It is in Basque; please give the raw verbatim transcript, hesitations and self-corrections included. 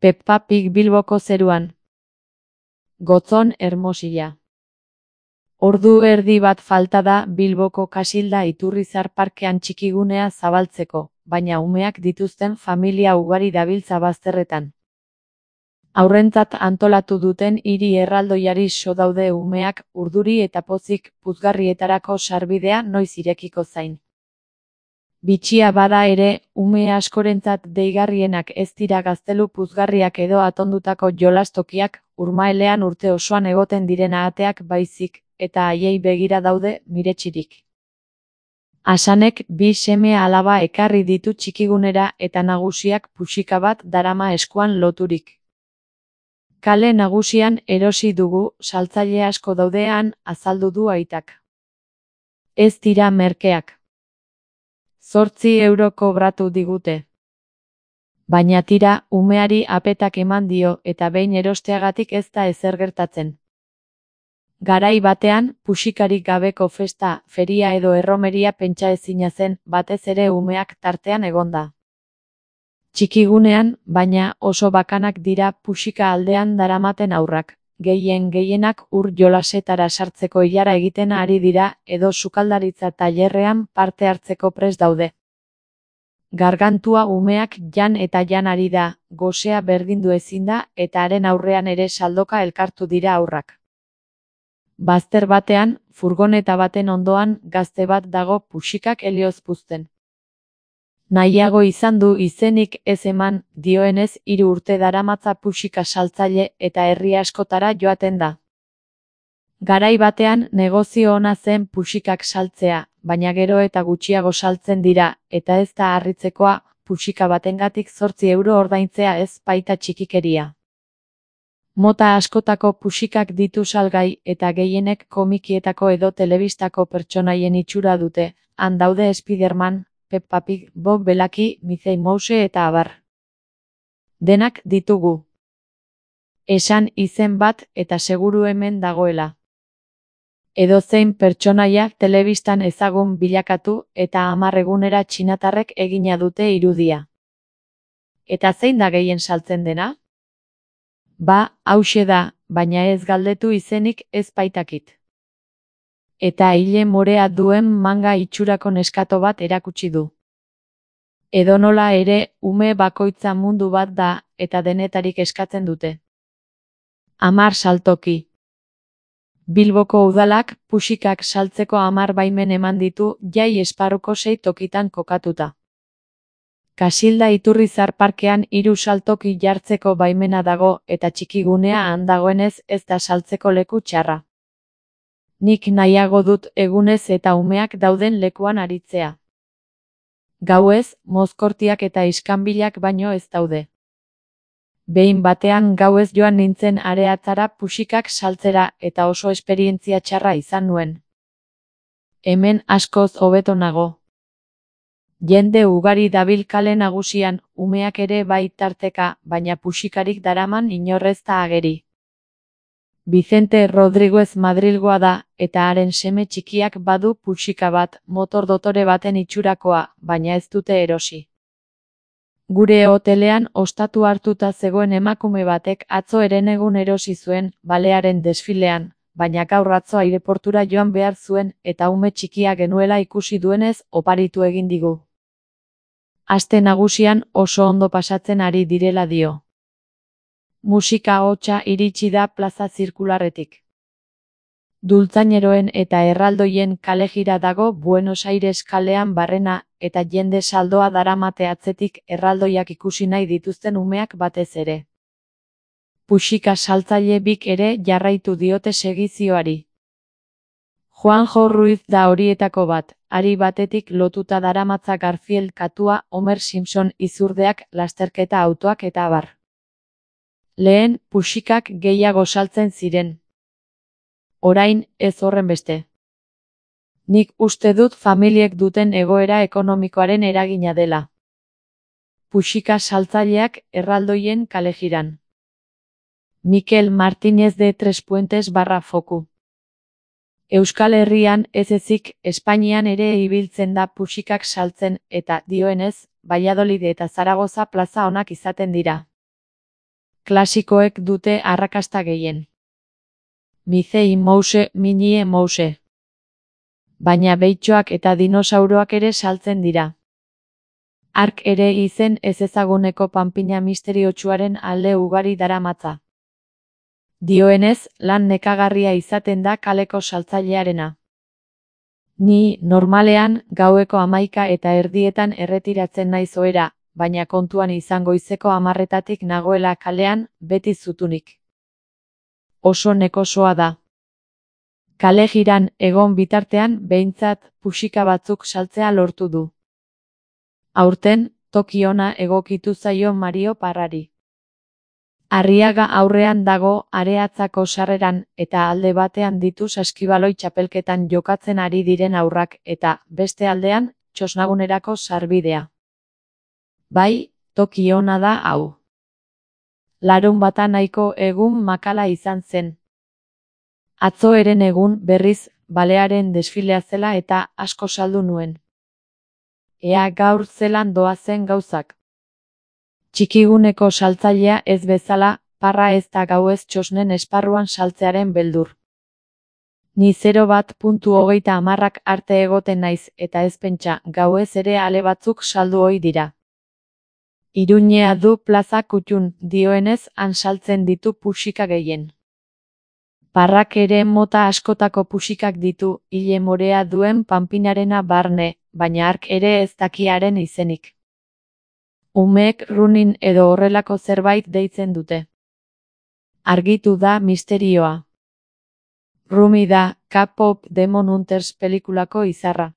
Peppa Pig Bilboko zeruan. Gotzon Hermosilla. Ordu erdi bat falta da Bilboko Kasilda Iturrizar parkean txikigunea zabaltzeko, baina umeak dituzten familia ugari dabiltza bazterretan. Aurrentzat antolatu duten hiri erraldoiari so daude umeak urduri eta pozik puzgarrietarako sarbidea noiz irekiko zain. Bitxia bada ere, ume askorentzat deigarrienak ez dira gaztelu puzgarriak edo atondutako jolastokiak, urmaelean urte osoan egoten diren ahateak baizik, eta haiei begira daude miretxirik. Hasanek bi seme alaba ekarri ditu txikigunera eta nagusiak puxika bat darama eskuan loturik. Kale nagusian erosi dugu, saltzaile asko daudean, azaldu du aitak. Ez dira merkeak. Zortzi euro kobratu digute. Baina tira, umeari apetak eman dio eta behin erosteagatik ez da ezer gertatzen. Garai batean, puxikarik gabeko festa, feria edo erromeria pentsa ezina zen, batez ere umeak tartean egonda. Txikigunean, baina oso bakanak dira puxika aldean daramaten aurrak, gehien gehienak ur jolasetara sartzeko ilara egiten ari dira edo sukaldaritza tailerrean parte hartzeko prest daude. Gargantua umeak jan eta jan ari da, gosea berdindu ezin da eta haren aurrean ere saldoka elkartu dira aurrak. Bazter batean, furgoneta baten ondoan gazte bat dago puxikak helioz puzten. Nahiago izan du izenik ez eman, dioenez hiru urte daramatza puxika saltzaile eta herri askotara joaten da. Garai batean negozio ona zen puxikak saltzea, baina gero eta gutxiago saltzen dira, eta ez da harritzekoa, puxika batengatik zortzi euro ordaintzea ez baita txikikeria. Mota askotako puxikak ditu salgai eta gehienek komikietako edo telebistako pertsonaien itxura dute, han daude Spiderman, Peppa Pig, Bob Belaki, Mickey Mouse eta abar. Denak ditugu. Esan izen bat eta seguru hemen dagoela. Edozein pertsonaia telebistan ezagun bilakatu eta hamar egunera txinatarrek egina dute irudia. Eta zein da gehien saltzen dena? Ba, hauxe da, baina ez galdetu izenik ez baitakit. Eta hile morea duen manga itxurako neskato bat erakutsi du. Edonola ere, ume bakoitza mundu bat da, eta denetarik eskatzen dute. Hamar saltoki. Bilboko udalak puxikak saltzeko hamar baimen eman ditu jai esparruko sei tokitan kokatuta. Kasilda Iturrizar parkean hiru saltoki jartzeko baimena dago eta txikigunea han dagoenez ez da saltzeko leku txarra. Nik nahiago dut egunez eta umeak dauden lekuan aritzea. Gauez, mozkortiak eta iskanbilak baino ez daude. Behin batean gauez joan nintzen areatzara puxikak saltzera eta oso esperientzia txarra izan nuen. Hemen askoz hobeto nago. Jende ugari dabil kale nagusian, umeak ere bai tarteka, baina puxikarik daraman inorrez da ageri. Vicente Rodriguez Madrilgoa da, eta haren seme txikiak badu puxika bat, motor dotore baten itxurakoa, baina ez dute erosi. Gure hotelean ostatu hartuta zegoen emakume batek atzo herenegun erosi zuen, balearen desfilean, baina gaur atzo aireportura joan behar zuen, eta ume txikia genuela ikusi duenez oparitu egin digu. Aste nagusian oso ondo pasatzen ari direla dio. Musika hotsa iritsi da plaza zirkularretik. Dultzaineroen eta erraldoien kalejira dago Buenos Aires kalean barrena eta jende saldoa daramate atzetik erraldoiak ikusi nahi dituzten umeak batez ere. Puxika saltzaile bik ere jarraitu diote segizioari. Juanjo Ruiz da horietako bat, hari batetik lotuta daramatza Garfield katua, Homer Simpson izurdeak, lasterketa autoak eta abar. Lehen, puxikak gehiago saltzen ziren. Orain, ez horren beste. Nik uste dut familiek duten egoera ekonomikoaren eragina dela. Puxika saltzaileak erraldoien kalejiran. Mikel Martínez de Tres Puentes barra foku. Euskal Herrian ez ezik, Espainian ere ibiltzen da puxikak saltzen eta, dioenez, Valladolid eta Zaragoza plaza onak izaten dira. klasikoek dute arrakasta gehien. Mizei Mouse, Minie Mouse. Baina behitxoak eta dinosauroak ere saltzen dira. Hark ere izen ezezaguneko panpina misteriotsuaren alde ugari daramatza. Dioenez, lan nekagarria izaten da kaleko saltzailearena. Ni, normalean, gaueko hamaika eta erdietan erretiratzen naiz ohera, baina kontuan izan goizeko hamarretatik nagoela kalean, beti zutunik. Oso nekosoa da. Kale jiran egon bitartean behintzat puxika batzuk saltzea lortu du. Aurten, toki ona egokitu zaio Mario Parrari. Arriaga aurrean dago Areatzako sarreran eta alde batean ditu saskibaloi txapelketan jokatzen ari diren haurrak eta, beste aldean, txosnagunerako sarbidea. Bai, toki ona da hau. Larunbata nahiko egun makala izan zen. Atzo eren egun, berriz, balearen desfilea zela eta asko saldu nuen. Ea gaur zelan doazen gauzak. Txikiguneko saltzailea ez bezala, Parra ez da gauez txosnen esparruan saltzearen beldur. Ni zero bat puntu hogeita hamarrak arte egoten naiz eta ez pentsa gauez ere ale batzuk saldu ohi dira. Iruñea du plaza kutxun, dioenez han saltzen ditu puxika gehien. Parrak ere mota askotako puxikak ditu, ile morea duen panpinarena barne, baina hark ere ez dakiaren izenik. Umeek runin edo horrelako zerbait deitzen dute. Argitu da misterioa. Rumi da, K-pop Demon Hunters pelikulako izarra.